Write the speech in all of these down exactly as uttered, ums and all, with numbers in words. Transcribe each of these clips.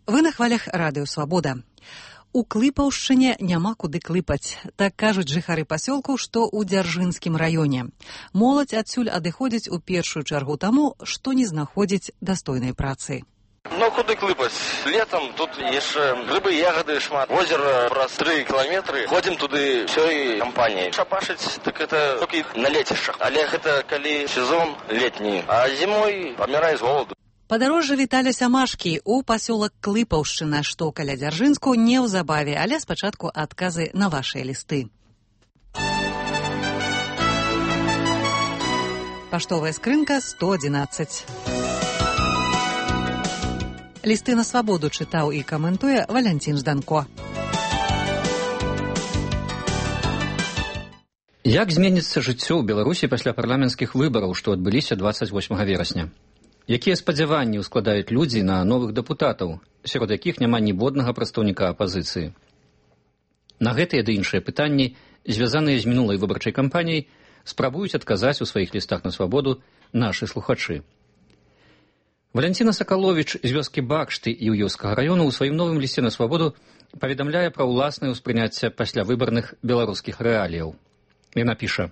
Вы на хвалях радыё «Свабода». У Клыпаўшчыне няма куды клыпаць. Так кажуць жыхары пасёлку, што ў Дзяржынскім раёне. Моладзь адсюль адыходзіць у першую чаргу таму, што не знаходзіць дастойнай працы. Ну, куды клыпаць? Летом тут яшчэ грыбы, ягоды шмат. Озеро праз тры кіламетры. Ходзім туды ўсёй кампаніяй. Шапашыць, так это толькі на лецішчах. Але гэта калі сезон летні. А зімой памірае з голаду. Падарожжа Віталя Сямашкі ў пасёлак Клыпаўшчына, што каля Дзяржынску, неўзабаве, але спачатку адказы на вашыя лісты. Паштовая скрынка сто адзінаццаць. Лісты на свабоду чытаў і каментуе Валянцін Жданко. Як зменіцца жыццё ў Беларусі пасля парламенцкіх выбараў, што адбыліся дваццаць восьмага верасня? Якія спадзяванні ўскладаюць людзі на новых дэпутатаў, сярод якіх няма ніводнага прадстаўніка апазіцыі? На гэтыя ды іншыя пытанні, звязаныя з мінулай выбарчай кампаніяй, спрабуюць адказаць у сваіх лістах на свабоду нашы слухачы. Валянціна Сакаловіч з вёскі Бакшты і Іўёўскага раёну ў сваім новым лісце на свабоду паведамляе пра ўласнае ўспрыняцце паслявыбарных беларускіх рэаліяў. Яна піша: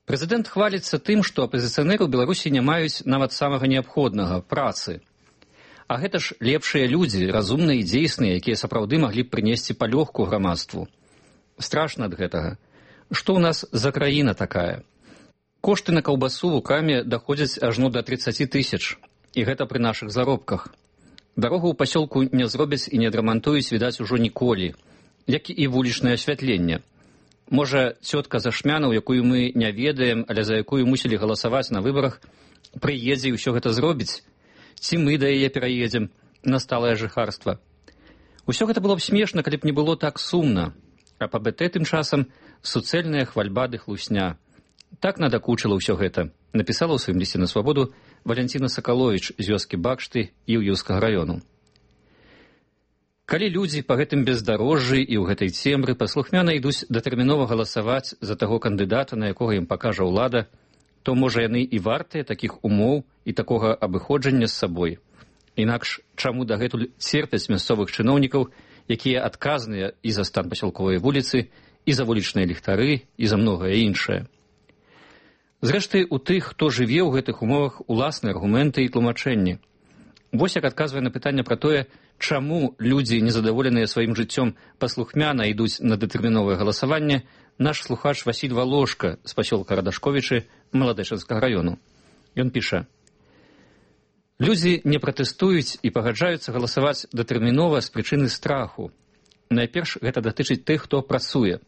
Прэзідэнт хваліцца тым, што апазіцыянеры ў Беларусі не маюць нават самага неабходнага працы. А гэта ж лепшыя людзі, разумныя і дзейсныя, якія сапраўды маглі б прынесці палёгку грамадству. Страшна ад гэтага. Што ў нас за краіна такая? Кошты на каўбасу ў краме даходзяць ажно да трыццаці тысяч, і гэта пры нашых заробках. Дарогу ў пасёлку не зробяць і не адрамантуюць, відаць, ужо ніколі, як і вулічнае асвятленне. Можа, цётка Зашмянаў, якую мы не ведаем, але за якую мусілі галасаваць на выбарах, прыедзе і ўсё гэта зробіць? Ці мы да яе пераедзем на сталае жыхарства? Усё гэта было б смешна, калі б не было так сумна. А па бэ тэ тым часам суцэльная хвальба ды хлусня. Так надакучыла ўсё гэта, напісала ў сваім лісце на свабоду Валянціна Сакаловіч з вёскі Бакшты і Іўёўскага раёну. Калі людзі па гэтым бездарожжы і ў гэтай цемры паслухмяна ідуць датэрмінова галасаваць за таго кандыдата, на якога ім пакажа ўлада, то, можа, яны і вартыя такіх умоў і такога абыходжання з сабой. Інакш чаму дагэтуль церпяць мясцовых чыноўнікаў, якія адказныя і за стан пасёлковай вуліцы, і за вулічныя ліхтары, і за многае іншае. Зрэшты, у тых, хто жыве ў гэтых умовах, уласныя аргументы і тлумачэнні. Вось як адказвае на пытанне пра тое, чаму людзі, незадаволеныя сваім жыццём, паслухмяна ідуць на дэтэрміновае галасаванне, наш слухач Васіль Валошка з пасёлка Радашковічы Маладэчанскага раёну. Ён піша: Людзі не пратэстуюць і пагаджаюцца галасаваць датэрмінова з прычыны страху. Найперш гэта датычыць тых, хто працуе.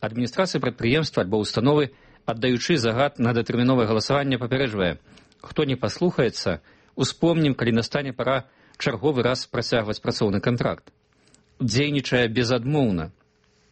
Адміністрацыя прадпрыемства альбо установы, аддаючы загад на датэрміновае галасаванне, папярэджвае: хто не паслухаецца, успомнім, калі настане пара чарговы раз працягваць працоўны кантракт. Дзейнічае безадмоўна.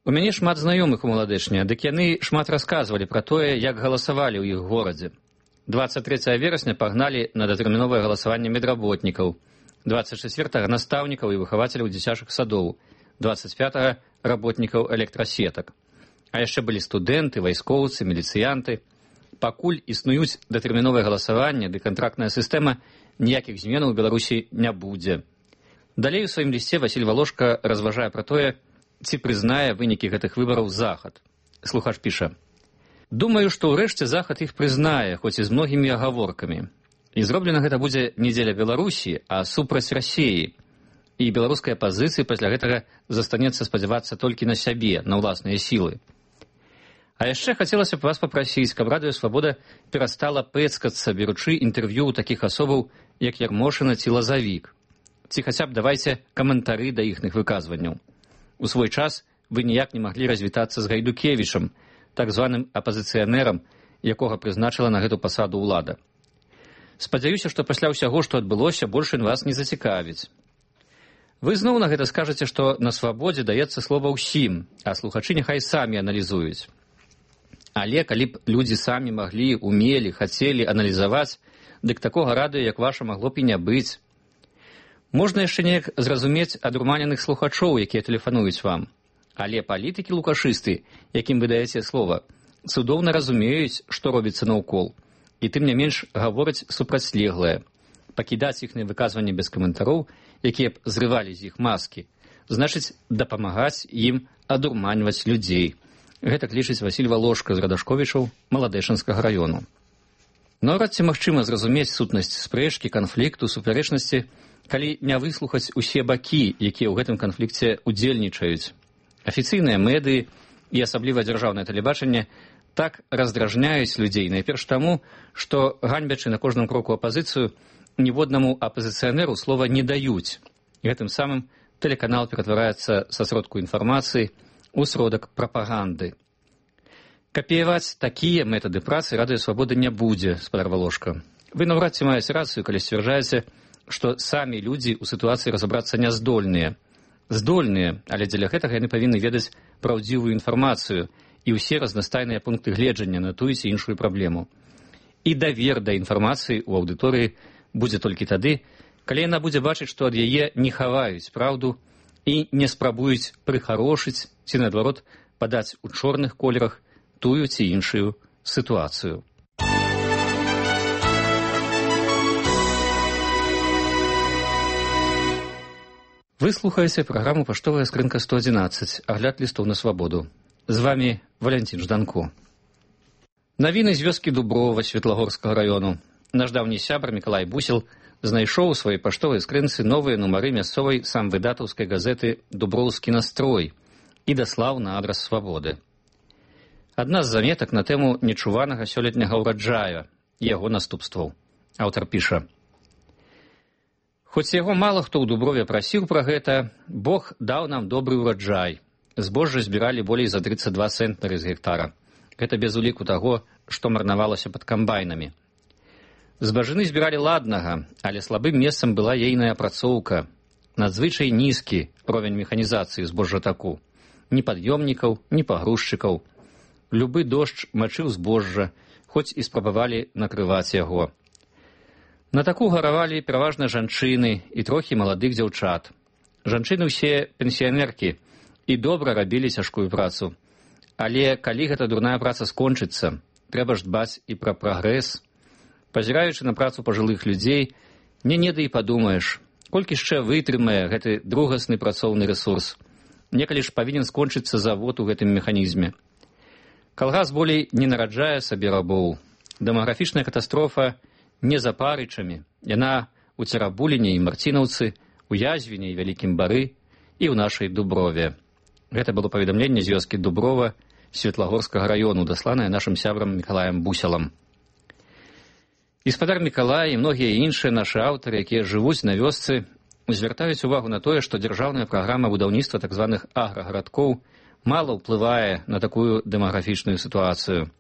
У мяне шмат знаёмых у Маладэчне, дык яны шмат расказвалі пра тое, як галасавалі ў іх горадзе. дваццаць трэцяга верасня пагналі на датэрміновае галасаванне медработнікаў, дваццаць чацвёртага настаўнікаў і выхавацеляў дзіцячых садоў, дваццаць пятага работнікаў электрасетак. А яшчэ былі студэнты, вайскоўцы, міліцыянты. Пакуль існуюць датэрміновае галасаванне ды кантрактная сістэма, ніякіх зменаў у Беларусі не будзе. Далей у сваім лісце Васіль Валошка разважае пра тое, ці прызнае вынікі гэтых выбараў Захад. Слухач піша: Думаю, што ўрэшце Захад іх прызнае, хоць і з многімі агаворкамі. І зроблена гэта будзе не дзеля Беларусі, а супраць Расіі. І беларускай апазіцыі пасля гэтага застанецца спадзявацца толькі на сябе, на ўласныя сілы. А яшчэ хацелася б вас папрасіць, каб радыё «Свабода» перастала пэцкацца, беручы інтэрв'ю ў такіх асобаў, як Ярмошына ці Лазавік. Ці хаця б давайце каментары да іхных выказванняў. У свой час вы ніяк не маглі развітацца з Гайдукевічам, так званым апазіцыянерам, якога прызначыла на гэту пасаду ўлада. Спадзяюся, што пасля ўсяго, што адбылося, больш ён вас не зацікавіць. Вы зноў на гэта скажаце, што на свабодзе даецца слова ўсім, а слухачы няхай самі аналізуюць. Але калі б людзі самі маглі, умелі, хацелі аналізаваць, дык такога радыё, як ваша, магло б і не быць. Можна яшчэ неяк зразумець адурманеных слухачоў, якія тэлефануюць вам. Але палітыкі-лукашысты, якім вы даеце слова, цудоўна разумеюць, што робіцца наўкол, і тым не менш гавораць супрацьлеглае. Пакідаць іхныя выказванні без каментароў якія б зрывалі з іх маскі, значыць, дапамагаць ім адурманьваць людзей. Гэтак лічыць Васіль Валошка з Радашковічаў Маладэшынскага раёну. Наўрад ці магчыма зразумець сутнасць спрэчкі, канфлікту, супярэчнасці, калі не выслухаць усе бакі, якія ў гэтым канфлікце удзельнічаюць. Афіцыйныя медыі і асабліва дзяржаўнае тэлебачанне так раздражняюць людзей, найперш таму, што, ганьбячы на кожным кроку апазіцыю, ніводнаму апазіцыянеру слова не даюць. Гэтым самым тэлеканал ператвараецца са сродку інфармацыі ў сродак прапаганды. Капіяваць такія метады працы Радыё Свабода не будзе, спадар Валошка. Вы наўрад ці маеце рацыю, калі сцвярджаеце, што самі людзі ў сітуацыі разабрацца няздольныя. Здольныя, але дзеля гэтага яны павінны ведаць праўдзівую інфармацыю і ўсе разнастайныя пункты гледжання на тую ці іншую праблему. І давер да інфармацыі ў аўдыторыі будзе толькі тады, калі яна будзе бачыць, што ад яе не хаваюць праўду і не спрабуюць прыхарошыць ці, наадварот, падаць у чорных колерах тую ці іншую сітуацыю. Вы слухаеце праграму «Паштовая скрынка сто адзінаццаць», агляд лістоў на свабоду. З вамі Валянцін Жданко. Навіны з вёскі Дуброва Светлагорскага раёну. Наш даўні сябар Мікалай Бусел знайшоў у сваёй паштовай скрынцы новыя нумары мясцовай самвыдатаўскай газеты «Дуброўскі настрой» і даслаў на адрас свабоды. Адна з заметак на тэму нечуванага сёлетняга ўраджая і яго наступстваў. Аўтар піша: «Хоць яго мала хто ў Дуброве прасіў пра гэта, Бог даў нам добры ўраджай. Збожжа збіралі болей за трыццаць два цэнтнары з гектара. Гэта без уліку таго, што марнавалася пад камбайнамі. Збажыны збіралі ладнага, але слабым месцам была ейная апрацоўка. Надзвычай нізкі ровень механізацыі збожжатаку. Ні пад'ёмнікаў, ні пагрузчыкаў. Любы дождж мачыў збожжа, хоць і спрабавалі накрываць яго. На таку гаравалі пераважна жанчыны і трохі маладых дзяўчат. Жанчыны ўсе пенсіянеркі і добра рабілі цяжкую працу. Але калі гэта дурная праца скончыцца, трэба ж дбаць і пра прагрэс. Пазіраючы на працу пажылых людзей, не неды і падумаеш, колькі яшчэ вытрымае гэты другасны працоўны рэсурс. Некалі ж павінен скончыцца завод у гэтым механізме. Калгас болей не нараджае сабе рабоў. Дэмаграфічная катастрофа не за парычамі. Яна ў Церабуліне і Марцінаўцы, у Язвіне і Вялікім Бары і ў нашай Дуброве. Гэта было паведамленне з вёскі Дуброва Светлагорскага раёну, дасланае нашым сябрам Мікалаем Бусялам. Гаспадар Мікалай і многія іншыя нашы аўтары, якія жывуць на вёсцы, звяртаюць увагу на тое, што дзяржаўная праграма будаўніцтва так званых аграгарадкоў мала ўплывае на такую дэмаграфічную сітуацыю.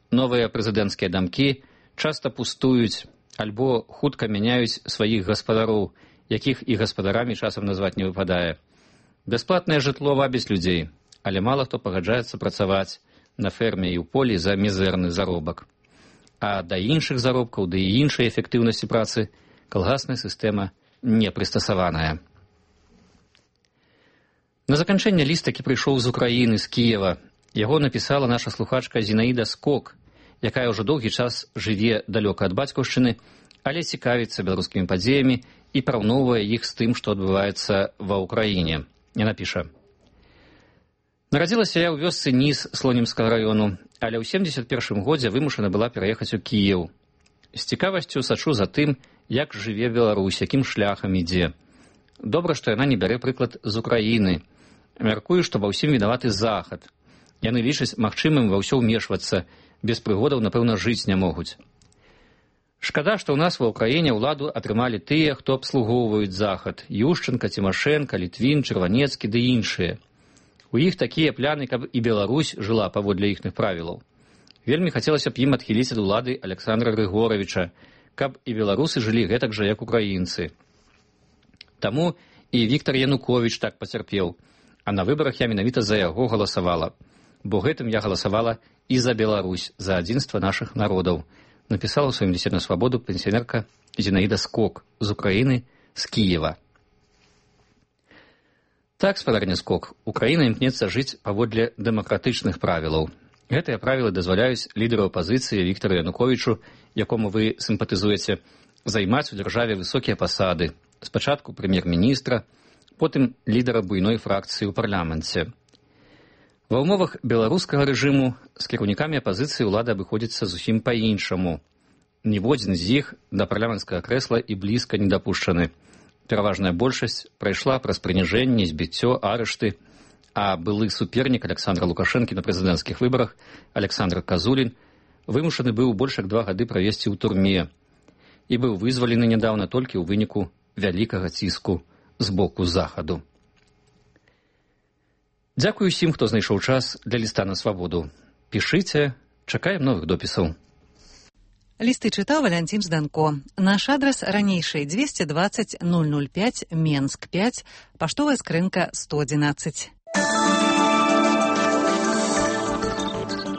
Новыя прэзідэнцкія дамкі часта пустуюць альбо хутка мяняюць сваіх гаспадароў, якіх і гаспадарамі часам назваць не выпадае. Бясплатнае жытло вабіць людзей, але мала хто пагаджаецца працаваць на ферме і ў полі за мізэрны заробак. А да іншых заробкаў, да і іншай эфектыўнасці працы калгасная сістэма не прыстасаваная. На заканчэнне ліст такі прыйшоў з Украіны, з Кіева. Яго напісала наша слухачка Зінаіда Скок, якая ўжо доўгі час жыве далёка ад бацькаўшчыны, але цікавіцца беларускімі падзеямі і параўноўвае іх з тым, што адбываецца ва ўкраіне. Яна піша: «Нарадзілася я ў вёсцы Ніс Слонімскага раёну, але ў семдзесят першым годзе вымушана была пераехаць у Кіеў. З цікавасцю сачу за тым, як жыве Беларусь, якім шляхам ідзе. Добра, што яна не бярэ прыклад з Украіны. Мяркую, што ва ўсім вінаваты Захад. Яны лічаць магчымым ва ўсё ўмешвацца, без прыгодаў, напэўна, жыць не могуць. Шкада, што ў нас ва ўкраіне ўладу атрымалі тыя, хто абслугоўваюць Захад: Ющенка, Цімашэнка, Літвін, Чырванецкі ды іншыя. У іх такія пляны, каб і Беларусь жыла паводле іхных правілаў. Вельмі хацелася б ім адхіліць ад улады Аляксандра Грыгоравіча, каб і беларусы жылі гэтак жа, як украінцы. Таму і Віктар Януковіч так пацярпеў, а на выбарах я менавіта за яго галасавала, бо гэтым я галасавала і за Беларусь, за адзінства нашых народаў», напісала ў сваім лісце на свабоду пенсіянерка Зінаіда Скок з Украіны, з Кіева. Так, спадарня Скок, Украіна імкнецца жыць паводле дэмакратычных правілаў. Гэтыя правілы дазваляюць лідару апазіцыі Віктару Януковічу, якому вы сімпатызуеце, займаць у дзяржаве высокія пасады, Спачатку прэм'ер-міністра, потым лідара буйной фракцыі ў парламенце. Ва ўмовах беларускага рэжыму з кіраўнікамі апазіцыі ўлада абыходзіцца зусім па-іншаму. Ніводзін з іх да парламенцкага крэсла і блізка не дапушчаны. Пераважная большасць прайшла праз прыніжэнне, збіццё, арышты, а былы супернік Александра Лукашэнкі на прэзідэнцкіх выбарах Александр Казулін вымушаны быў больш як два гады правесці ў турме і быў вызвалены нядаўна толькі ў выніку вялікага ціску з боку захаду. Дзякую усім, хто знайшоў час для ліста на свабоду. Пішыце, чакаем новых допісаў. Лісты чытаў Валянцін Жданко. Наш адрас ранейший двести двадцать ноль ноль пять, Менск пять, паштовая скрынка сто одиннадцать.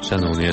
Шановні